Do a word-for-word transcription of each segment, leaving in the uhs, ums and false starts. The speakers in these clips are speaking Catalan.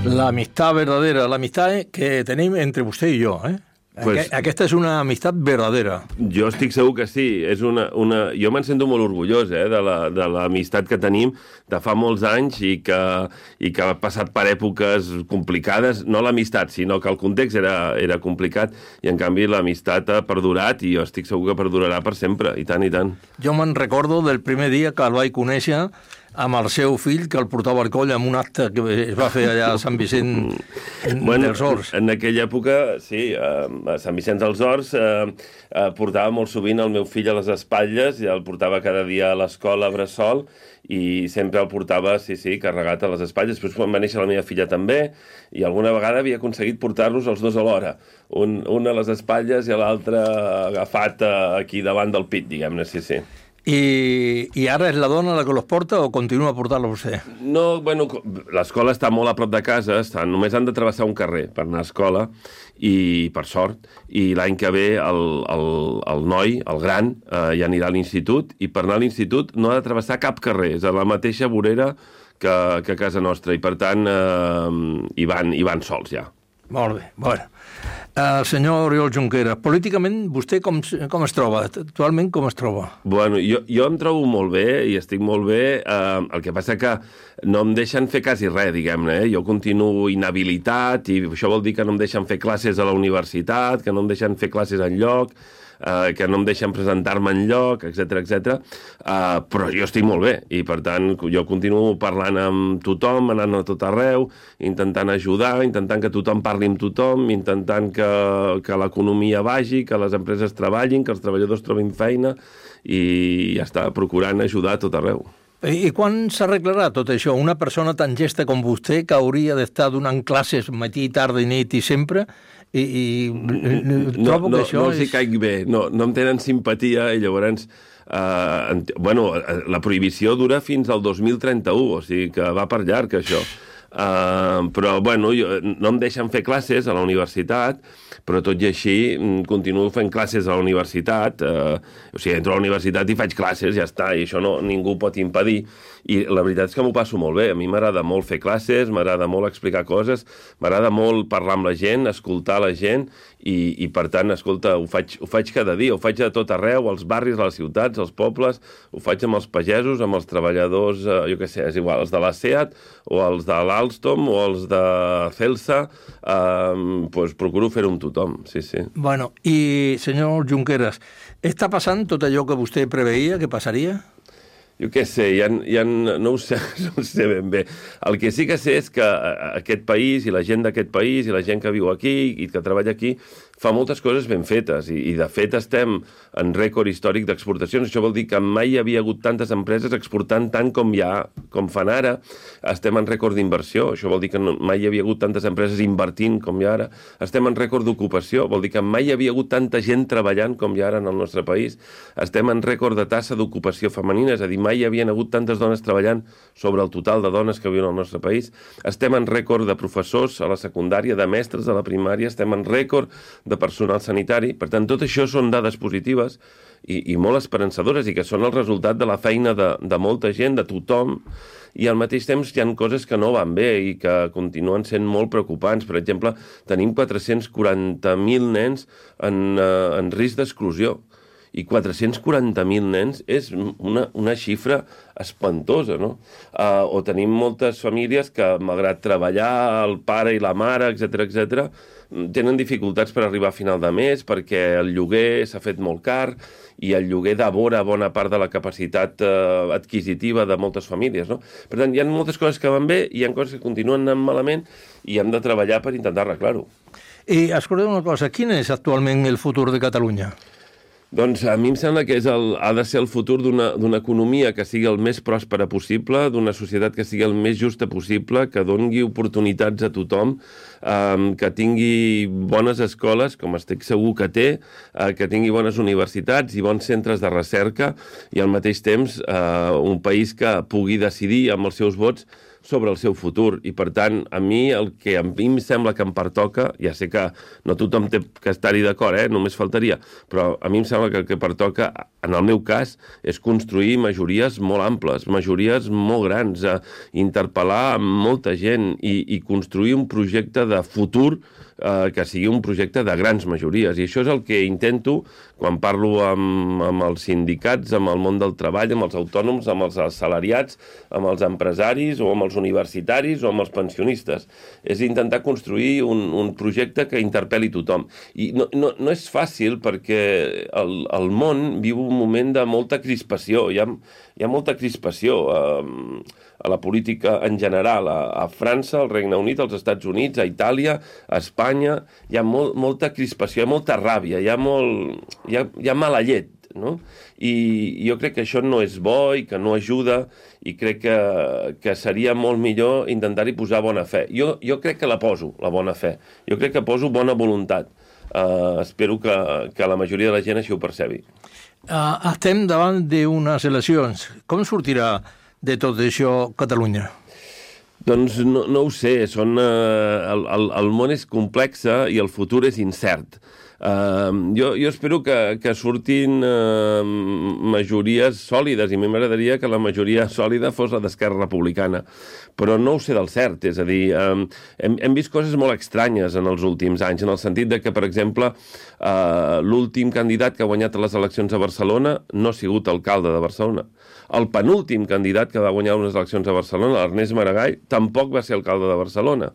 L'amistat verdadera, l'amistat que tenim entre vostè i jo, eh? Pues, aquesta és una amistat verdadera. Jo estic segur que sí. És una, una... Jo me'n sento molt orgullós eh, de l'amistat que tenim de fa molts anys i que, i que ha passat per èpoques complicades. No l'amistat, sinó que el context era, era complicat i, en canvi, l'amistat ha perdurat i jo estic segur que perdurarà per sempre, i tant, i tant. Jo me'n recordo del primer dia que el vaig conèixer amb el seu fill, que el portava al coll en un acte que es va fer allà a Sant Vicent bueno, dels Horts. En aquella època, sí, a Sant Vicent dels Horts eh, eh, portava molt sovint el meu fill a les espatlles i el portava cada dia a l'escola a bressol i sempre el portava, sí, sí, carregat a les espatlles. Després, quan va néixer la meva filla també, i alguna vegada havia aconseguit portar-los els dos alhora. Un, un a les espatlles i l'altre agafat aquí davant del pit, diguem-ne, sí, sí. I, I ara és la dona la que los porta o continua portant-los vostè? No, bueno, l'escola està molt a prop de casa, està, només han de travessar un carrer per anar a escola, i per sort, i l'any que ve el, el, el noi, el gran, eh, ja anirà a l'institut, i per anar a l'institut no ha de travessar cap carrer, és a la mateixa vorera que, que a casa nostra, i per tant eh, hi, van, hi van sols ja. Molt bé, bueno. El senyor Oriol Junqueras, políticament vostè com, com es troba? Actualment com es troba? Bueno, jo, jo em trobo molt bé i estic molt bé. Eh, el que passa que no em deixen fer quasi res, diguem-ne. Eh? Jo continuo inhabilitat i això vol dir que no em deixen fer classes a la universitat, que no em deixen fer classes enlloc, eh, que no em deixen presentar-me enlloc, etcètera, etcètera. Eh, però jo estic molt bé i, per tant, jo continuo parlant amb tothom, anant a tot arreu, intentant ajudar, intentant que tothom parli amb tothom, intentant que, que l'economia vagi, que les empreses treballin, que els treballadors trobin feina i ja està, procurant ajudar a tot arreu. I quan s'arreglarà tot això? Una persona tan gesta com vostè, que hauria d'estar donant classes matí, tarda i nit i sempre, i, i trobo no, no, que això no els hi és... caig bé, no, no em tenen simpatia i llavors eh, bueno, la prohibició dura fins al dos mil trenta-u, o sigui que va per llarg això. Uh, però bueno, jo, no em deixen fer classes a la universitat, però tot i així continuo fent classes a la universitat, uh, o sigui, entro a la universitat i faig classes, ja està, i això no, ningú pot impedir, i la veritat és que m'ho passo molt bé. A mi m'agrada molt fer classes, m'agrada molt explicar coses, m'agrada molt parlar amb la gent, escoltar la gent, i, i per tant, escolta, ho faig, ho faig cada dia, ho faig a tot arreu, als barris, a les ciutats, als pobles, ho faig amb els pagesos, amb els treballadors, uh, jo què sé, és igual, els de la SEAT o els de l'Alstom o els de Celsa, eh, pues procuro fer-ho amb tothom, sí, sí. Bueno, i senyor Junqueras, està passant tot allò que vostè preveia que passaria? Jo què sé, ja, ja no, ho sé, no ho sé ben bé. El que sí que sé és que aquest país i la gent d'aquest país i la gent que viu aquí i que treballa aquí fa moltes coses ben fetes i, i de fet estem en rècord històric d'exportacions. Això vol dir que mai hi havia hagut tantes empreses exportant tant com hi ha, com fan ara. Estem en rècord d'inversió. Això vol dir que no, mai hi havia hagut tantes empreses invertint com hi ha ara. Estem en rècord d'ocupació. Vol dir que mai hi havia hagut tanta gent treballant com hi ha ara en el nostre país. Estem en rècord de taxa d'ocupació femenina, és a dir, mai hi havien hagut tantes dones treballant sobre el total de dones que viuen al nostre país. Estem en rècord de professors a la secundària, de mestres a la primària, estem en rècord de personal sanitari. Per tant, tot això són dades positives i, i molt esperançadores i que són el resultat de la feina de, de molta gent, de tothom, i al mateix temps hi ha coses que no van bé i que continuen sent molt preocupants. Per exemple, tenim quatre-cents quaranta mil nens en, uh, en risc d'exclusió. I quatre-cents quaranta mil nens és una, una xifra espantosa, no? Uh, o tenim moltes famílies que, malgrat treballar, el pare i la mare, etcètera, etcètera, tenen dificultats per arribar a final de mes perquè el lloguer s'ha fet molt car i el lloguer devora bona part de la capacitat uh, adquisitiva de moltes famílies, no? Per tant, hi ha moltes coses que van bé i hi ha coses que continuen anant malament i hem de treballar per intentar arreglar-ho. I escolteu una cosa, quin és actualment el futur de Catalunya? Doncs a mi em sembla que és el, ha de ser el futur d'una d'una economia que sigui el més pròspera possible, d'una societat que sigui el més justa possible, que doni oportunitats a tothom, eh, que tingui bones escoles, com estic segur que té, eh, que tingui bones universitats i bons centres de recerca, i al mateix temps eh, un país que pugui decidir amb els seus vots sobre el seu futur. I, per tant, a mi el que a mi em sembla que em pertoca, ja sé que no tothom té que estar-hi d'acord, eh? Només faltaria, però a mi em sembla que el que pertoca, en el meu cas, és construir majories molt amples, majories molt grans, eh? Interpel·lar molta gent i, i construir un projecte de futur eh, que sigui un projecte de grans majories. I això és el que intento quan parlo amb, amb els sindicats, amb el món del treball, amb els autònoms, amb els assalariats, amb els empresaris o amb els universitaris o amb els pensionistes. És intentar construir un, un projecte que interpel·li tothom. I no, no, no és fàcil perquè el, el món viu un moment de molta crispació. Hi ha, hi ha molta crispació eh, a la política en general, a, a França, al Regne Unit, als Estats Units, a Itàlia, a Espanya. Hi ha molt, molta crispació, hi ha molta ràbia, hi ha, molt, hi ha, hi ha mala llet, no? I jo crec que això no és bo i que no ajuda i crec que, que seria molt millor intentar-hi posar bona fe. Jo, jo crec que la poso, la bona fe. Jo crec que poso bona voluntat. Uh, espero que, que la majoria de la gent així ho percebi. Uh, estem davant d'unes eleccions. Com sortirà de tot això Catalunya? Doncs no, no ho sé. Són, uh, el, el, el món és complex i el futur és incert. Uh, jo, jo espero que, que surtin uh, majories sòlides i a mi m'agradaria que la majoria sòlida fos la d'Esquerra Republicana, però no ho sé del cert, és a dir, um, hem, hem vist coses molt estranyes en els últims anys, en el sentit de que, per exemple, uh, l'últim candidat que ha guanyat les eleccions a Barcelona no ha sigut alcalde de Barcelona. El penúltim candidat que va guanyar unes eleccions a Barcelona, l'Ernest Maragall, tampoc va ser alcalde de Barcelona.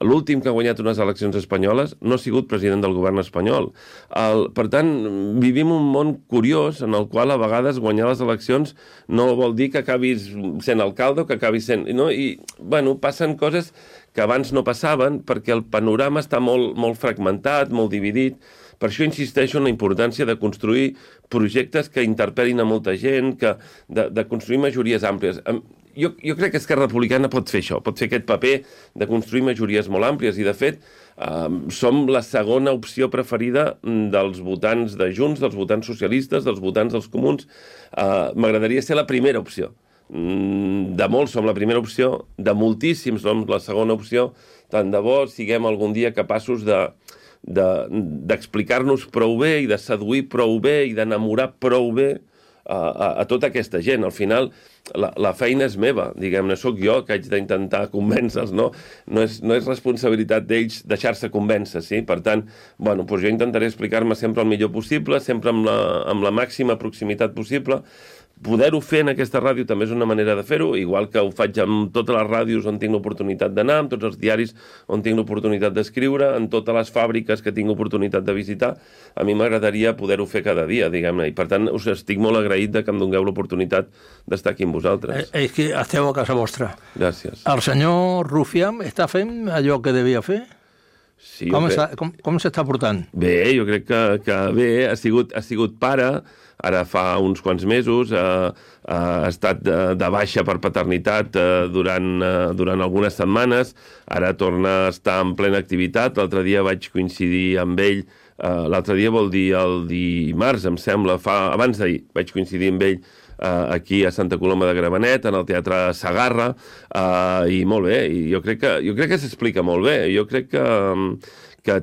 L'últim que ha guanyat unes eleccions espanyoles no ha sigut president del govern espanyol. El, per tant, vivim un món curiós en el qual a vegades guanyar les eleccions no vol dir que acabis sent alcalde o que acabis sent... No? I, bueno, passen coses que abans no passaven perquè el panorama està molt, molt fragmentat, molt dividit. Per això insisteixo en la importància de construir projectes que interpel·lin a molta gent, que, de, de construir majories àmplies. Jo, jo crec que Esquerra Republicana pot fer això, pot fer aquest paper de construir majories molt àmplies i, de fet, eh, som la segona opció preferida dels votants de Junts, dels votants socialistes, dels votants dels comuns. Eh, m'agradaria ser la primera opció. De molts som la primera opció, de moltíssims som la segona opció. Tant de bo siguem algun dia capaços de d'explicar-nos prou bé i de seduir prou bé i d'enamorar prou bé a, a, a tota aquesta gent. Al final, la, la feina és meva, diguem-ne, sóc jo que haig d'intentar convèncer-los, no? No és, no és responsabilitat d'ells deixar-se convèncer, sí? Per tant, bueno, doncs jo intentaré explicar-me sempre el millor possible, sempre amb la, amb la màxima proximitat possible. Poder-ho fer en aquesta ràdio també és una manera de fer-ho, igual que ho faig amb totes les ràdios on tinc l'oportunitat d'anar, amb tots els diaris on tinc l'oportunitat d'escriure, en totes les fàbriques que tinc oportunitat de visitar. A mi m'agradaria poder-ho fer cada dia, diguem-ne, i per tant us estic molt agraït de que em dongueu l'oportunitat d'estar aquí amb vosaltres. Eh, és que esteu a casa vostra. Gràcies. El senyor Rufián està fent allò que devia fer? Sí, com està, com, com s'està portant? Bé, jo crec que, que bé, ha sigut, ha sigut pare, ara fa uns quants mesos, eh, ha estat de, de baixa per paternitat eh, durant, eh, durant algunes setmanes, ara torna a estar en plena activitat. L'altre dia vaig coincidir amb ell, eh, l'altre dia vol dir el dimarts, em sembla, fa, abans d'ahir vaig coincidir amb ell eh, aquí a Santa Coloma de Gramenet, en el Teatre Segarra, eh, i molt bé, i jo crec que, jo crec que s'explica molt bé, jo crec que, que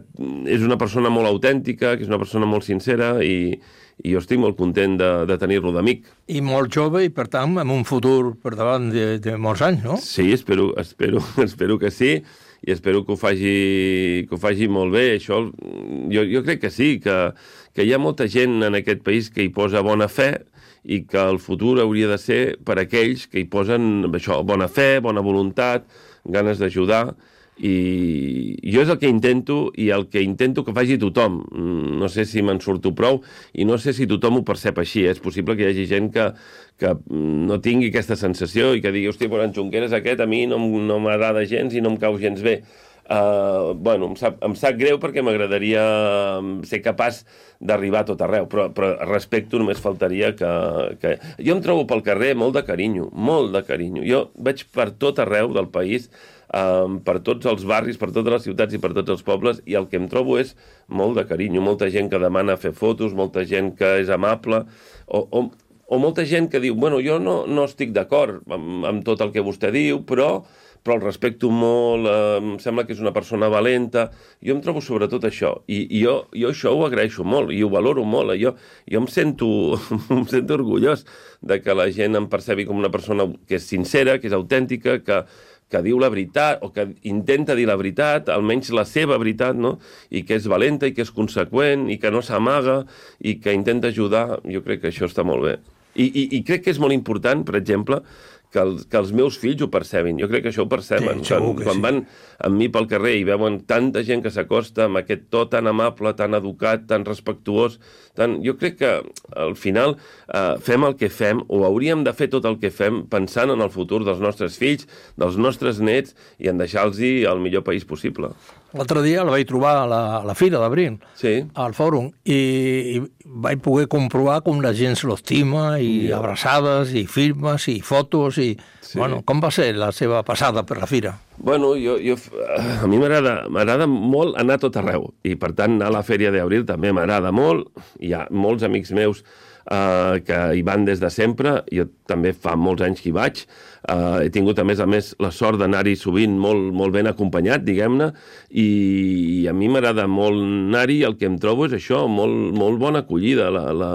és una persona molt autèntica, que és una persona molt sincera, i i jo estic molt content de, de tenir-lo d'amic. I molt jove i, per tant, amb un futur per davant de, de molts anys, no? Sí, espero, espero, espero que sí, i espero que ho faci, que ho faci molt bé. Això, jo, jo crec que sí, que, que hi ha molta gent en aquest país que hi posa bona fe i que el futur hauria de ser per aquells que hi posen això, bona fe, bona voluntat, ganes d'ajudar. I jo és el que intento i el que intento que faci tothom. No sé si me'n surto prou i no sé si tothom ho percep així. És possible que hi hagi gent que, que no tingui aquesta sensació i que digui, hòstia, però en Junqueras aquest a mi no, no m'agrada gens i no em cau gens bé. Uh, bueno, em sap, em sap greu perquè m'agradaria ser capaç d'arribar a tot arreu, però, però respecto només faltaria que, que... Jo em trobo pel carrer molt de carinyo, molt de carinyo. Jo vaig per tot arreu del país, um, per tots els barris, per totes les ciutats i per tots els pobles, i el que em trobo és molt de carinyo, molta gent que demana fer fotos, molta gent que és amable, o, o, o molta gent que diu, bueno, jo no, no estic d'acord amb, amb tot el que vostè diu, però però el respecto molt, eh, em sembla que és una persona valenta. Jo em trobo sobretot això, i, i jo, jo això ho agraeixo molt, i ho valoro molt. Jo, jo em, sento, em sento orgullós de que la gent em percebi com una persona que és sincera, que és autèntica, que, que diu la veritat, o que intenta dir la veritat, almenys la seva veritat, no? I que és valenta, i que és conseqüent, i que no s'amaga, i que intenta ajudar. Jo crec que això està molt bé. I, i, i crec que és molt important, per exemple, que els, que els meus fills ho percebin. Jo crec que això ho perceben. Sí, quan quan sí. van amb mi pel carrer i veuen tanta gent que s'acosta amb aquest to tan amable, tan educat, tan respectuós, tan... jo crec que al final eh, fem el que fem, o hauríem de fer tot el que fem pensant en el futur dels nostres fills, dels nostres nets, i en deixar-los el millor país possible. L'altre dia el vaig trobar a la, a la fira d'abril, Sí. al fòrum, i, i vaig poder comprovar com la gent se l'estima, i Ja. abraçades, i firmes, i fotos, i... Sí. Bueno, com va ser la seva passada per la fira? Bueno, jo, jo, a mi m'agrada m'agrada molt anar a tot arreu, i per tant anar a la Fèria d'Abril també m'agrada molt. Hi ha molts amics meus eh, que hi van des de sempre, jo també fa molts anys que hi vaig. Uh, he tingut, a més a més, la sort d'anar-hi sovint molt, molt ben acompanyat, diguem-ne, i, i a mi m'agrada molt anar-hi, el que em trobo és això, molt, molt bona acollida, la, la,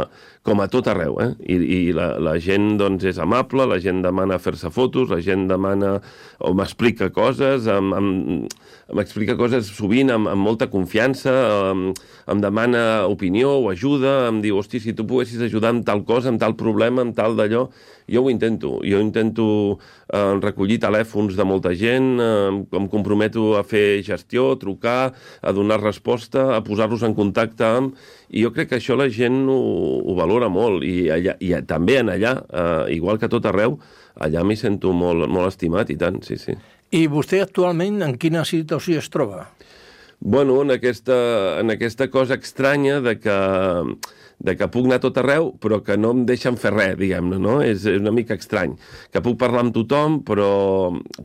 com a tot arreu, eh? I, i la, la gent, doncs, és amable, la gent demana fer-se fotos, la gent demana o m'explica coses, m'explica coses sovint amb, amb molta confiança, em, em demana opinió o ajuda, em diu, hosti, si tu poguessis ajudar amb tal cosa, amb tal problema, amb tal d'allò, jo ho intento, jo intento eh, recollir telèfons de molta gent, eh, em comprometo a fer gestió, a trucar, a donar resposta, a posar-los en contacte amb... I jo crec que això la gent ho, ho valora molt, i, allà, i també en allà, eh, igual que a tot arreu, allà m'hi sento molt, molt estimat, i tant, sí, sí. I vostè actualment en quina situació es troba? Bueno, en aquesta, en aquesta cosa estranya de que, de que puc anar a tot arreu, però que no em deixen fer res, diguem-ne, no? És, és una mica estrany. Que puc parlar amb tothom, però,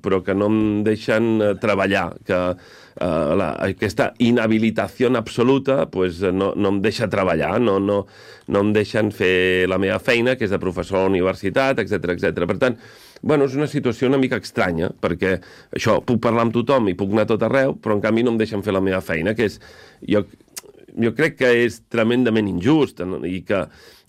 però que no em deixen treballar, que eh, la, aquesta inhabilitació absoluta pues, no, no em deixa treballar, no, no, no em deixen fer la meva feina, que és de professor a la universitat, etcètera, etcètera. Per tant, bueno, és una situació una mica estranya, perquè això, puc parlar amb tothom i puc anar a tot arreu, però en canvi no em deixen fer la meva feina, que és... Jo, jo crec que és tremendament injust, i que,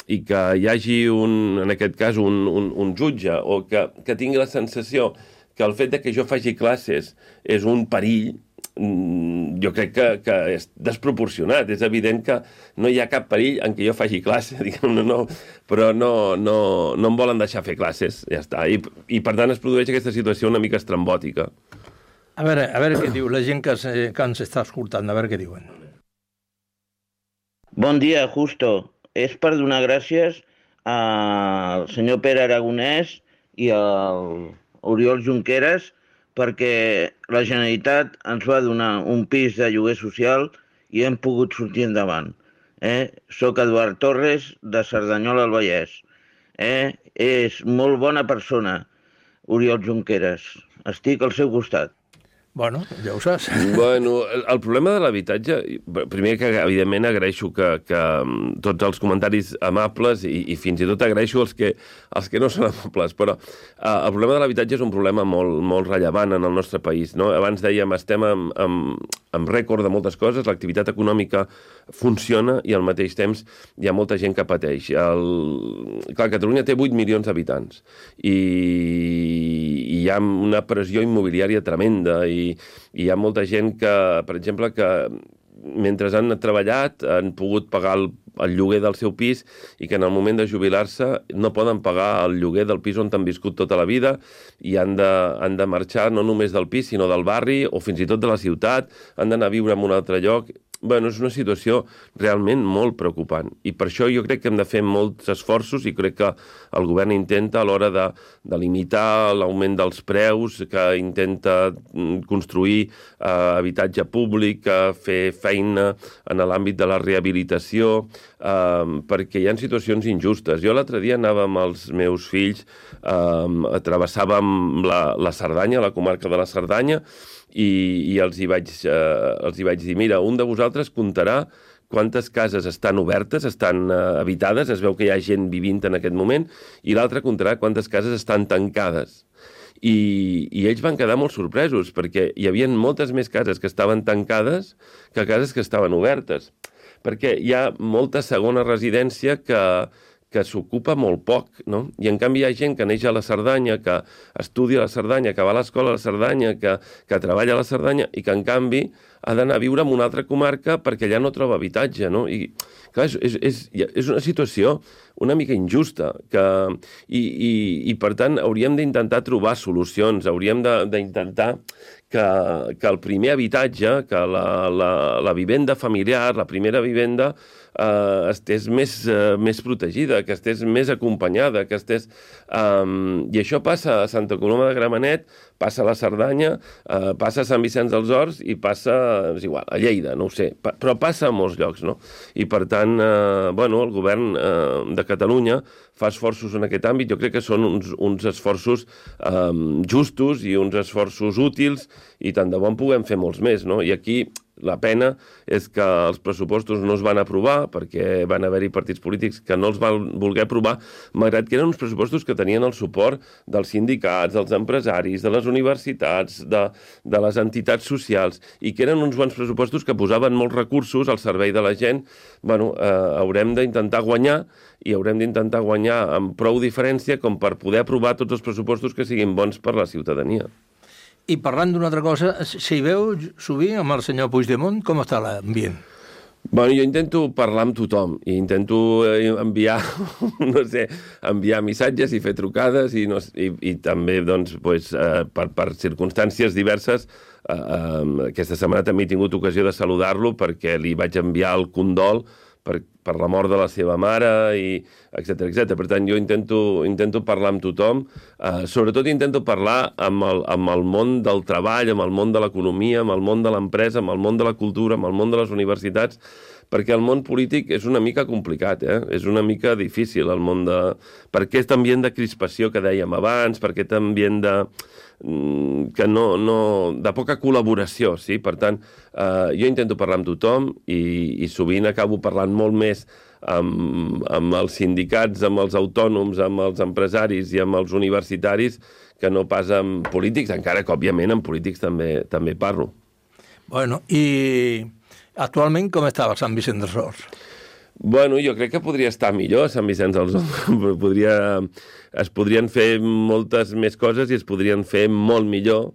i que hi hagi, un, en aquest cas, un, un, un jutge, o que, que tingui la sensació que el fet de que jo faci classes és un perill, jo crec que, que és desproporcionat. És evident que no hi ha cap perill en què jo faci classe, diguem-ne, no, però no, no, no em volen deixar fer classes, ja està. I, i per tant es produeix aquesta situació una mica estrambòtica. A veure, a veure què diu la gent que, se, que ens està escoltant, a veure què diuen. Bon dia, Justo. És per donar gràcies al senyor Pere Aragonès i al Oriol Junqueras perquè la Generalitat ens va donar un pis de lloguer social i hem pogut sortir endavant. Eh? Soc Eduard Torres, de Cerdanyola al Vallès. Eh? És molt bona persona, Oriol Junqueras. Estic al seu costat. Bueno, ja ho saps. Bueno, el, el problema de l'habitatge, primer que evidentment agraeixo que, que tots els comentaris amables i, i fins i tot agraeixo els que, els que no són amables, però uh, el problema de l'habitatge és un problema molt, molt rellevant en el nostre país, no? Abans dèiem, estem amb, amb, amb rècord de moltes coses, l'activitat econòmica funciona i al mateix temps hi ha molta gent que pateix. El... Clar, Catalunya té vuit milions d'habitants i, i hi ha una pressió immobiliària tremenda i i hi ha molta gent que, per exemple, que mentre han treballat han pogut pagar el, el lloguer del seu pis i que en el moment de jubilar-se no poden pagar el lloguer del pis on han viscut tota la vida i han de, han de marxar no només del pis sinó del barri o fins i tot de la ciutat, han d'anar a viure en un altre lloc. Bueno, és una situació realment molt preocupant i per això jo crec que hem de fer molts esforços i crec que el govern intenta a l'hora de, de limitar l'augment dels preus, que intenta construir eh, habitatge públic, eh, fer feina en l'àmbit de la rehabilitació, eh, perquè hi ha situacions injustes. Jo l'altre dia anava amb els meus fills, eh, travessàvem la, la Cerdanya, la comarca de la Cerdanya, i, i els, hi vaig, eh, els hi vaig dir, mira, un de vosaltres comptarà quantes cases estan obertes, estan eh, habitades, es veu que hi ha gent vivint en aquest moment, i l'altre comptarà quantes cases estan tancades. i, i ells van quedar molt sorpresos, perquè hi havia moltes més cases que estaven tancades que cases que estaven obertes, perquè hi ha molta segona residència que, que s'ocupa molt poc, no? I en canvi hi ha gent que neix a la Cerdanya, que estudia a la Cerdanya, que va a l'escola a la Cerdanya, que, que treballa a la Cerdanya, i que en canvi ha d'anar a viure en una altra comarca perquè allà no troba habitatge, no? I clar, és, és, és una situació una mica injusta, que, i, i, i per tant hauríem d'intentar trobar solucions, hauríem d'intentar que, que el primer habitatge, que la, la, la vivenda familiar, la primera vivenda, eh, estés més, eh, més protegida, que estés més acompanyada, que estés... Eh, I això passa a Santa Coloma de Gramenet, passa a la Cerdanya, eh, passa a Sant Vicenç dels Horts i passa, és igual, a Lleida, no ho sé, pa, però passa a molts llocs, no? I per tant, eh, bueno, el govern eh, de Catalunya fa esforços en aquest àmbit, jo crec que són uns, uns esforços eh, justos i uns esforços útils, i tant de bo en puguem fer molts més, no? I aquí la pena és que els pressupostos no es van aprovar perquè van haver-hi partits polítics que no els van voler aprovar, malgrat que eren uns pressupostos que tenien el suport dels sindicats, dels empresaris, de les universitats, de, de les entitats socials, i que eren uns bons pressupostos que posaven molts recursos al servei de la gent. Bueno, eh, haurem d'intentar guanyar, i haurem d'intentar guanyar amb prou diferència com per poder aprovar tots els pressupostos que siguin bons per la ciutadania. I parlant d'una altra cosa, si veu sovint amb el senyor Puigdemont, com està l'ambient? Bueno, jo intento parlar amb tothom i intento enviar, no sé, enviar missatges i fer trucades i, no, i, i també, doncs, pues, eh, per, per circumstàncies diverses. Eh, eh, aquesta setmana també he tingut ocasió de saludar-lo perquè li vaig enviar el condol per, per la mort de la seva mare, i etcètera, etcètera. Per tant, jo intento, intento parlar amb tothom, eh, sobretot intento parlar amb el, amb el món del treball, amb el món de l'economia, amb el món de l'empresa, amb el món de la cultura, amb el món de les universitats, perquè el món polític és una mica complicat, eh? És una mica difícil el món de... Per aquest ambient de crispació que dèiem abans, per aquest ambient de... que no, no... de poca col·laboració, sí? Per tant, eh, jo intento parlar amb tothom i, i sovint acabo parlant molt més amb, amb els sindicats, amb els autònoms, amb els empresaris i amb els universitaris que no pas amb polítics, encara que, òbviament, amb polítics també, també parlo. Bueno, i... actualment, com estava Sant Vicenç dels Horts? Bueno, jo crec que podria estar millor Sant Vicenç dels Horts. Podria, es podrien fer moltes més coses i es podrien fer molt millor.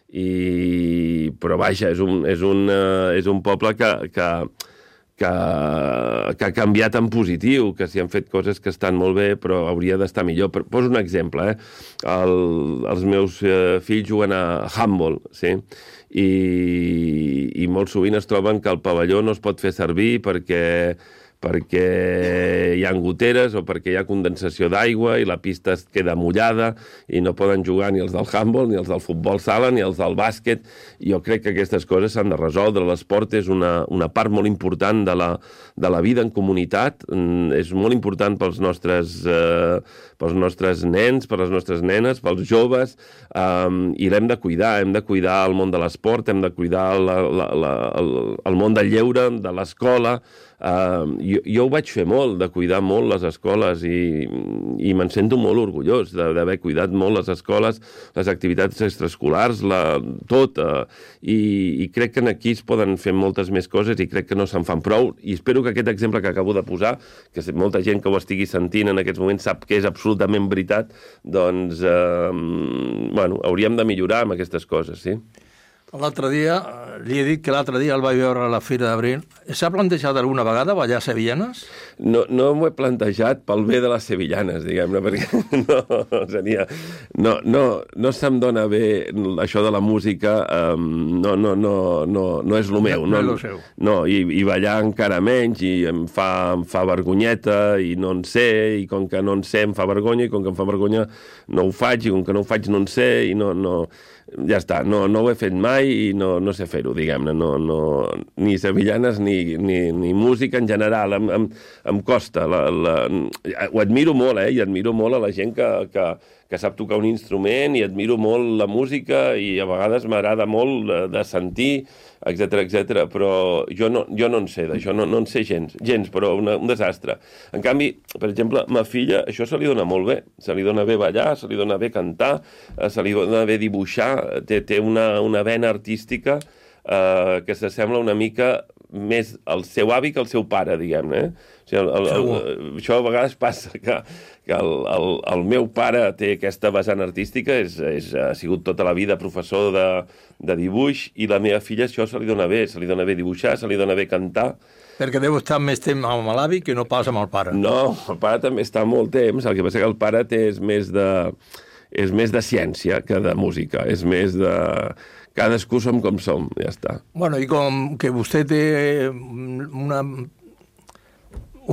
I, però vaja, és un, és un, és un poble que, que, que, que ha canviat en positiu, que s'hi han fet coses que estan molt bé, però hauria d'estar millor. Poso un exemple, eh? El, els meus eh, fills juguen a handball, sí? I, i molt sovint es troben que el pavelló no es pot fer servir perquè, perquè hi ha goteres o perquè hi ha condensació d'aigua i la pista es queda mullada i no poden jugar ni els del handball, ni els del futbol sala, ni els del bàsquet. Jo crec que aquestes coses s'han de resoldre. L'esport és una, una part molt important de la, de la vida en comunitat. És molt important pels nostres, eh, pels nostres nens, per les nostres nenes, pels joves, eh, i l'hem de cuidar. Hem de cuidar el món de l'esport, hem de cuidar la, la, la, el, el món del lleure, de l'escola. Uh, jo, jo ho vaig fer molt, de cuidar molt les escoles, i, i me'n sento molt orgullós d'haver cuidat molt les escoles, les activitats extraescolars, la, tot, uh, i, i crec que aquí es poden fer moltes més coses i crec que no se'n fan prou, i espero que aquest exemple que acabo de posar, que molta gent que ho estigui sentint en aquests moments sap que és absolutament veritat, doncs, uh, bueno, hauríem de millorar amb aquestes coses, sí. L'altre dia, li he dit que l'altre dia el vaig veure a la Fira d'Abril. S'ha plantejat alguna vegada ballar sevillanes? No, no m'ho he plantejat pel bé de les sevillanes, diguem-ne, perquè no, seria, no, no, no se'm dona bé això de la música, um, no, no, no, no, no és el meu. No, no, no és el seu. No, i, i ballar encara menys, i em fa, em fa vergonyeta, i no en sé, i com que no en sé em fa vergonya, i com que em fa vergonya no ho faig, i com que no ho faig no en sé, i no... no ja està, no, no ho he fet mai i no, no sé fer-ho, diguem-ne, no, no, ni sevillanes ni, ni, ni música en general, em, em, em costa. La, la, ho admiro molt, eh, i admiro molt a la gent que, que, que sap tocar un instrument i admiro molt la música i a vegades m'agrada molt de, de sentir, etcètera, etcètera, però jo no, jo no en sé d'això, no, no en sé gens, gens, però una, un desastre. En canvi, per exemple, ma filla, això se li dona molt bé, se li dona bé ballar, se li dona bé cantar, se li dona bé dibuixar, té, té una, una vena artística eh, que s'assembla una mica més al seu avi que al seu pare, diguem-ne. Eh? O sigui, el, el, el, això a vegades passa, que, que el, el, el meu pare té aquesta vessant artística, és, és, ha sigut tota la vida professor de, de dibuix, i la meva filla això se li dona bé, se li dona bé dibuixar, se li dona bé cantar. Perquè deu estar més temps amb l'avi que no pas amb el pare. No, el pare també està molt temps, el que passa que el pare té és més de, és més de ciència que de música, és més de... Cadascú som com som, ja està. Bueno, i com que vostè té una,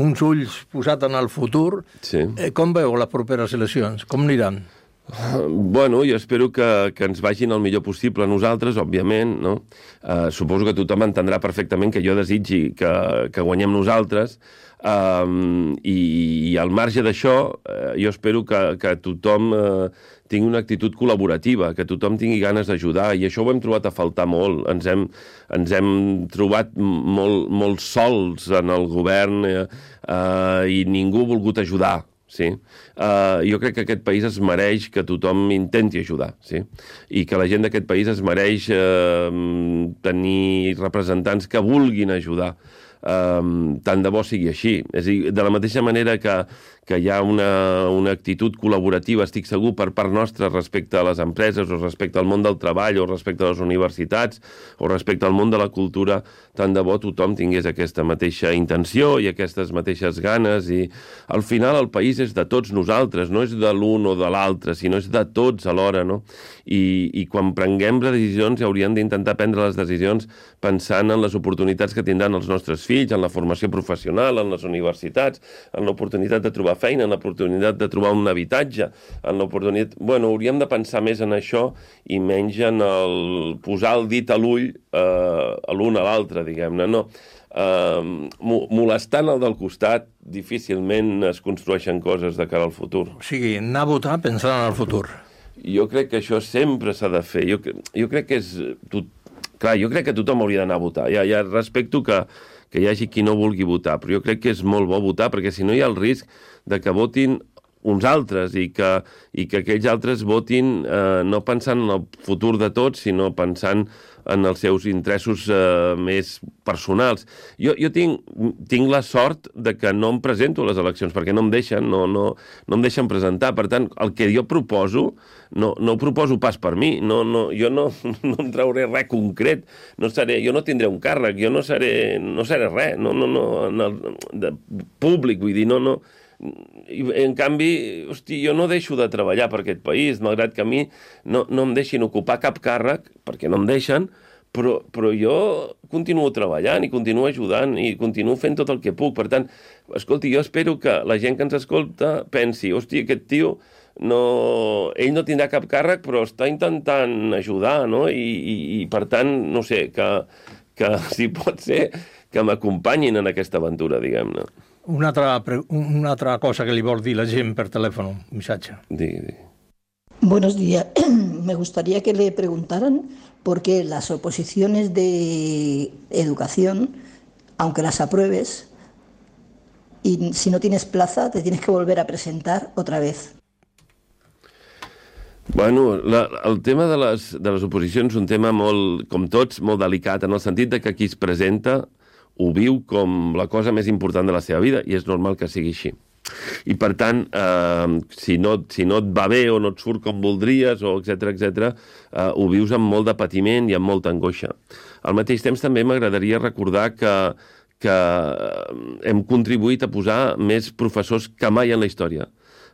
uns ulls posats en el futur, sí. eh, com veu les properes eleccions? Com aniran? Uh, bueno, jo espero que, que ens vagin el millor possible a nosaltres, òbviament, no? Uh, suposo que tothom entendrà perfectament que jo desitgi que, que guanyem nosaltres, um, i, i al marge d'això, uh, jo espero que, que tothom uh, tingui una actitud col·laborativa, que tothom tingui ganes d'ajudar, i això ho hem trobat a faltar molt. Ens hem, ens hem trobat molt, molt sols en el govern, eh, uh, i ningú ha volgut ajudar. Sí. Uh, jo crec que aquest país es mereix que tothom intenti ajudar, sí? I que la gent d'aquest país es mereix uh, tenir representants que vulguin ajudar. Um, tant de bo sigui així. És a dir, de la mateixa manera que, que hi ha una, una actitud col·laborativa, estic segur, per part nostra respecte a les empreses, o respecte al món del treball, o respecte a les universitats, o respecte al món de la cultura, tant de bo tothom tingués aquesta mateixa intenció i aquestes mateixes ganes, i al final el país és de tots nosaltres, no és de l'un o de l'altre, sinó és de tots alhora, no? I, i quan prenguem decisions hauríem d'intentar prendre les decisions pensant en les oportunitats que tindran els nostres fills, en la formació professional, en les universitats, en l'oportunitat de trobar feina, en l'oportunitat de trobar un habitatge, en l'oportunitat... Bueno, hauríem de pensar més en això i menys en el posar el dit a l'ull eh, a l'un a l'altre, diguem-ne, no. Uh, molestant el del costat, difícilment es construeixen coses de cara al futur. O sigui, anar a votar pensant en el futur. Jo crec que això sempre s'ha de fer. Jo, jo crec que és... Tot, clar, jo crec que tothom hauria d'anar a votar. Ja, ja respecto que, que hi hagi qui no vulgui votar, però jo crec que és molt bo votar, perquè si no hi ha el risc de que votin uns altres i que, i que aquells altres votin eh, no pensant en el futur de tots, sinó pensant en els seus interessos eh, més personals. Jo, jo tinc, tinc la sort de que no em presento a les eleccions, perquè no em deixen, no, no, no em deixen presentar. Per tant, el que jo proposo, no, no ho proposo pas per mi. No, no, jo no, no en trauré res concret. No seré, jo no tindré un càrrec, jo no seré, no seré res, no, no, no, en el, de públic, vull dir, no, no... I, en canvi, hosti, jo no deixo de treballar per aquest país, malgrat que a mi no, no em deixin ocupar cap càrrec, perquè no em deixen, però, però jo continuo treballant i continuo ajudant i continuo fent tot el que puc. Per tant, escolti, jo espero que la gent que ens escolta pensi, hosti, aquest tio, no, ell no tindrà cap càrrec, però està intentant ajudar, no? I, i, i per tant, no sé, que, que si pot ser, que m'acompanyin en aquesta aventura, diguem-ne. Una altra, una altra cosa que li vol dir la gent per telèfon, un missatge. Digui, digui. Buenos días. Me gustaría que le preguntaran por qué las oposiciones de educación, aunque las apruebes, y si no tienes plaza, te tienes que volver a presentar otra vez. Bueno, la, el tema de les, de les oposicions és un tema molt, com tots, molt delicat, en el sentit de que qui es presenta ho viu com la cosa més important de la seva vida, i és normal que sigui així. I, per tant, eh, si, no, si no et va bé o no et surt com voldries, o etcètera, etcètera, eh, ho vius amb molt de patiment i amb molta angoixa. Al mateix temps, també m'agradaria recordar que, que hem contribuït a posar més professors que mai en la història,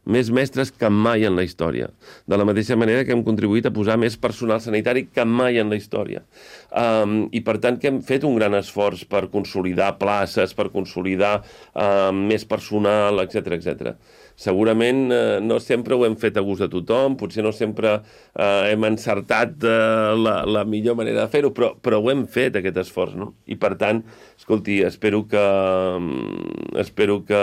més mestres que mai en la història. De la mateixa manera que hem contribuït a posar més personal sanitari que mai en la història. Um, I, per tant, que hem fet un gran esforç per consolidar places, per consolidar um, més personal, etcètera, etcètera. Segurament eh, no sempre ho hem fet a gust de tothom, potser no sempre eh, hem encertat eh, la, la millor manera de fer-ho, però, però ho hem fet, aquest esforç, no? I, per tant, escolti, espero que... espero que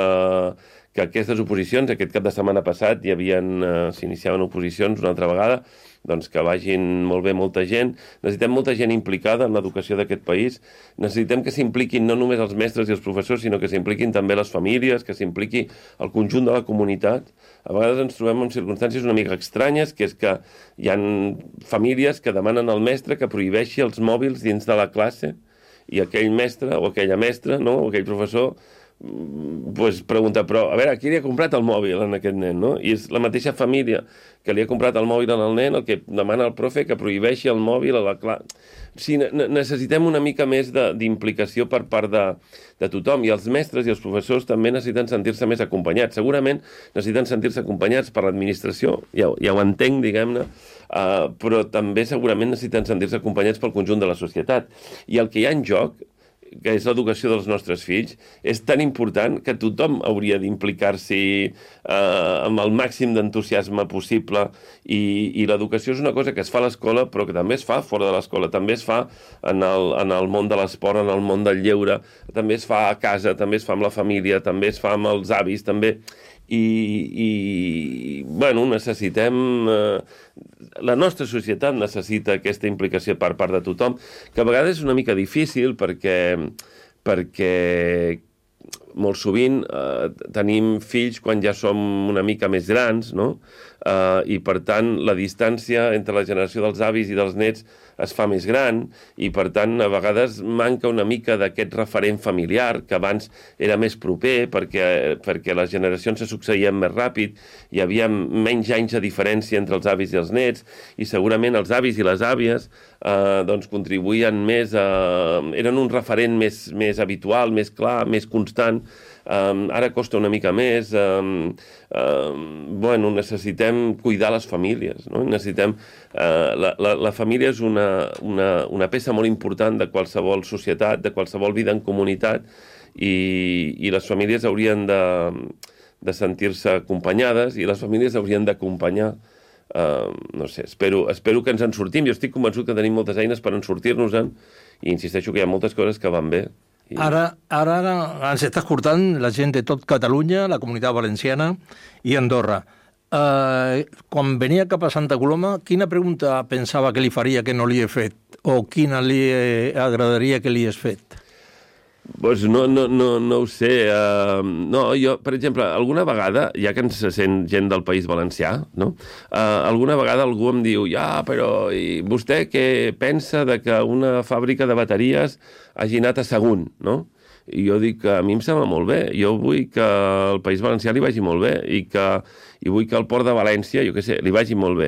que aquestes oposicions, aquest cap de setmana passat, hi havien, eh, s'iniciaven oposicions una altra vegada, doncs que vagin molt bé molta gent. Necessitem molta gent implicada en l'educació d'aquest país. Necessitem que s'impliquin no només els mestres i els professors, sinó que s'impliquin també les famílies, que s'impliqui el conjunt de la comunitat. A vegades ens trobem en circumstàncies una mica estranyes, que és que hi ha famílies que demanen al mestre que prohibeixi els mòbils dins de la classe i aquell mestre o aquella mestra, no? O aquell professor pues pregunta, però a veure, qui li ha comprat el mòbil en aquest nen, no? I és la mateixa família que li ha comprat el mòbil al nen el que demana al profe que prohibeixi el mòbil a la classe. Sí, necessitem una mica més d'implicació per part de, de tothom, i els mestres i els professors també necessiten sentir-se més acompanyats. Segurament necessiten sentir-se acompanyats per l'administració, ja, ja ho entenc, diguem-ne, uh, però també segurament necessiten sentir-se acompanyats pel conjunt de la societat. I el que hi ha en joc, que és l'educació dels nostres fills, és tan important que tothom hauria d'implicar-s'hi eh, amb el màxim d'entusiasme possible, i, i l'educació és una cosa que es fa a l'escola, però que també es fa fora de l'escola, també es fa en el, en el món de l'esport, en el món del lleure, també es fa a casa, també es fa amb la família, també es fa amb els avis, també... I, i bueno, necessitem... Eh, la nostra societat necessita aquesta implicació per part de tothom, que a vegades és una mica difícil perquè, perquè molt sovint eh, tenim fills quan ja som una mica més grans, no? Eh, I per tant la distància entre la generació dels avis i dels nets es fa més gran, i per tant a vegades manca una mica d'aquest referent familiar que abans era més proper perquè, perquè les generacions se succeïen més ràpid, hi havia menys anys de diferència entre els avis i els nets, i segurament els avis i les àvies eh, doncs contribuïen més a... eren un referent més, més habitual, més clar, més constant. Um, ara costa una mica més. Um, um, bueno, necessitem cuidar les famílies, no? Necessitem... Uh, la, la, la família és una, una, una peça molt important de qualsevol societat, de qualsevol vida en comunitat, i, i les famílies haurien de, de sentir-se acompanyades, i les famílies haurien d'acompanyar. Uh, no sé, espero, espero que ens en sortim. Jo estic convençut que tenim moltes eines per en sortir-nos-en, i insisteixo que hi ha moltes coses que van bé. I... Ara, ara, ara ens està escoltant la gent de tot Catalunya, la Comunitat Valenciana i Andorra. Uh, quan venia cap a Santa Coloma, quina pregunta pensava que li faria que no li he fet? O quina li agradaria que li hagués fet? Pues no, no, no, no ho sé. Uh, no, jo, per exemple, alguna vegada, ja que ens sent gent del País Valencià, no? Uh, alguna vegada algú em diu, ja, però i vostè què pensa de que una fàbrica de bateries hagi anat a Sagunt, no? I jo dic que a mi em sembla molt bé. Jo vull que el País Valencià li vagi molt bé, i que i vull que el Port de València, jo què sé, li vagi molt bé.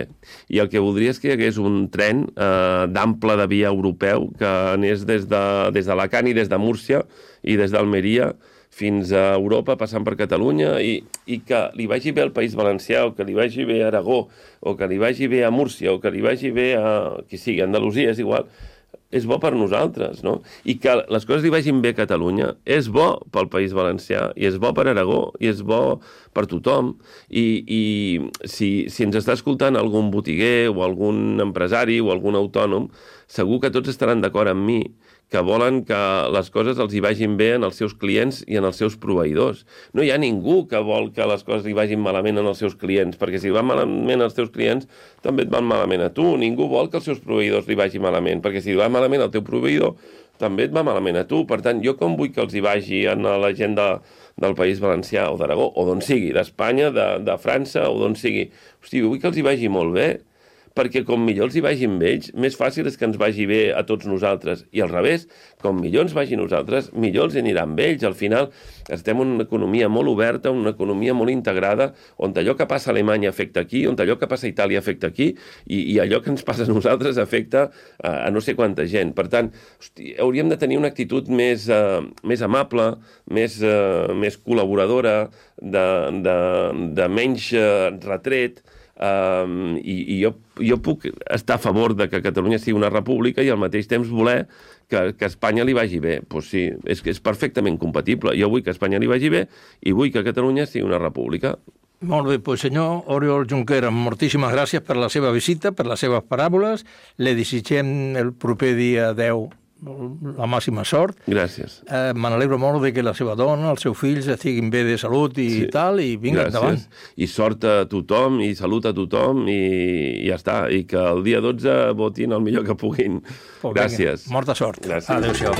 I el que voldria és que hi hagués un tren eh, d'ample de via europeu que anés des de, des d'Alacant i des de Múrcia i des d'Almeria fins a Europa, passant per Catalunya, i, i que li vagi bé al País Valencià, o que li vagi bé a Aragó, o que li vagi bé a Múrcia, o que li vagi bé a... qui sigui, a Andalusia, és igual. És bo per nosaltres, no? I que les coses li vagin bé a Catalunya és bo pel País Valencià, i és bo per Aragó, i és bo per tothom. I, i si, si ens està escoltant algun botiguer o algun empresari o algun autònom, segur que tots estaran d'acord amb mi que volen que les coses els hi vagin bé en els seus clients i en els seus proveïdors. No hi ha ningú que vol que les coses li vagin malament en els seus clients, perquè si van malament als teus clients, també et van malament a tu. Ningú vol que els seus proveïdors li vagi malament, perquè si li va malament al teu proveïdor, també et va malament a tu. Per tant, jo com vull que els hi vagi en la gent de, del País Valencià o d'Aragó, o d'on sigui, d'Espanya, de, de França, o d'on sigui. Hosti, vull que els hi vagi molt bé, perquè com millor els hi vagi amb ells, més fàcil és que ens vagi bé a tots nosaltres. I al revés, com millor ens vagi a nosaltres, millor els anirà amb ells. Al final estem en una economia molt oberta, una economia molt integrada, on allò que passa a Alemanya afecta aquí, on allò que passa a Itàlia afecta aquí, i, i allò que ens passa a nosaltres afecta a, a no sé quanta gent. Per tant, hosti, hauríem de tenir una actitud més, uh, més amable, més, uh, més col·laboradora, de, de, de menys uh, retret. Um, i, i jo, jo puc estar a favor de que Catalunya sigui una república i al mateix temps voler que, que Espanya li vagi bé. Pues sí, és, és perfectament compatible. Jo vull que Espanya li vagi bé i vull que Catalunya sigui una república. Molt bé, doncs senyor Oriol Junqueras, moltíssimes gràcies per la seva visita, per les seves paràboles. Le desitgem el proper dia deu la màxima sort. Gràcies. Eh, Me n'alegro molt de que la seva dona, els seus fills estiguin bé de salut i sí. tal, i vinga, Gràcies. endavant. I sort a tothom, i salut a tothom, i, i ja està. I que el dia dotze votin el millor que puguin. Pues Gràcies. Vinga, molta sort. Gràcies. Adéu-siau.